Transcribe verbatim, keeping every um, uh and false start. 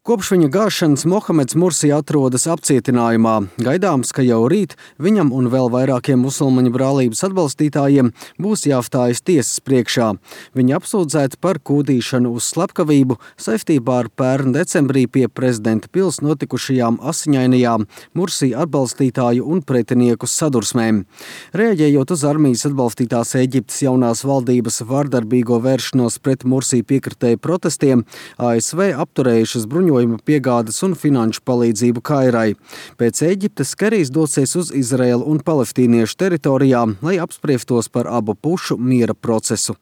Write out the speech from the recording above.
Kopš viņa gāšanas Mohameds Mursi atrodas apcietinājumā. Gaidāms, ka jau rīt viņam un vēl vairākiem musulmaņu brālības atbalstītājiem būs jāstājas tiesas priekšā. Viņi apsūdzēti par kūdīšanu uz slepkavību saistībā ar pērn decembrī pie prezidenta pils notikušajām asiņainajām Mursi atbalstītāju un pretinieku sadursmēm. Reaģējot uz armijas atbalstītās Ēģiptes jaunās valdības vārdarbīgo vēršanos pret Mursi piekritēju protestiem, A S V apturējušas bruņojumu piegādes un finanšu palīdzību Kairai. Pēc Ēģiptes Kerijs dosies uz Izraēlu un palestīniešu teritorijām, lai apspriestos par abu pušu miera procesu.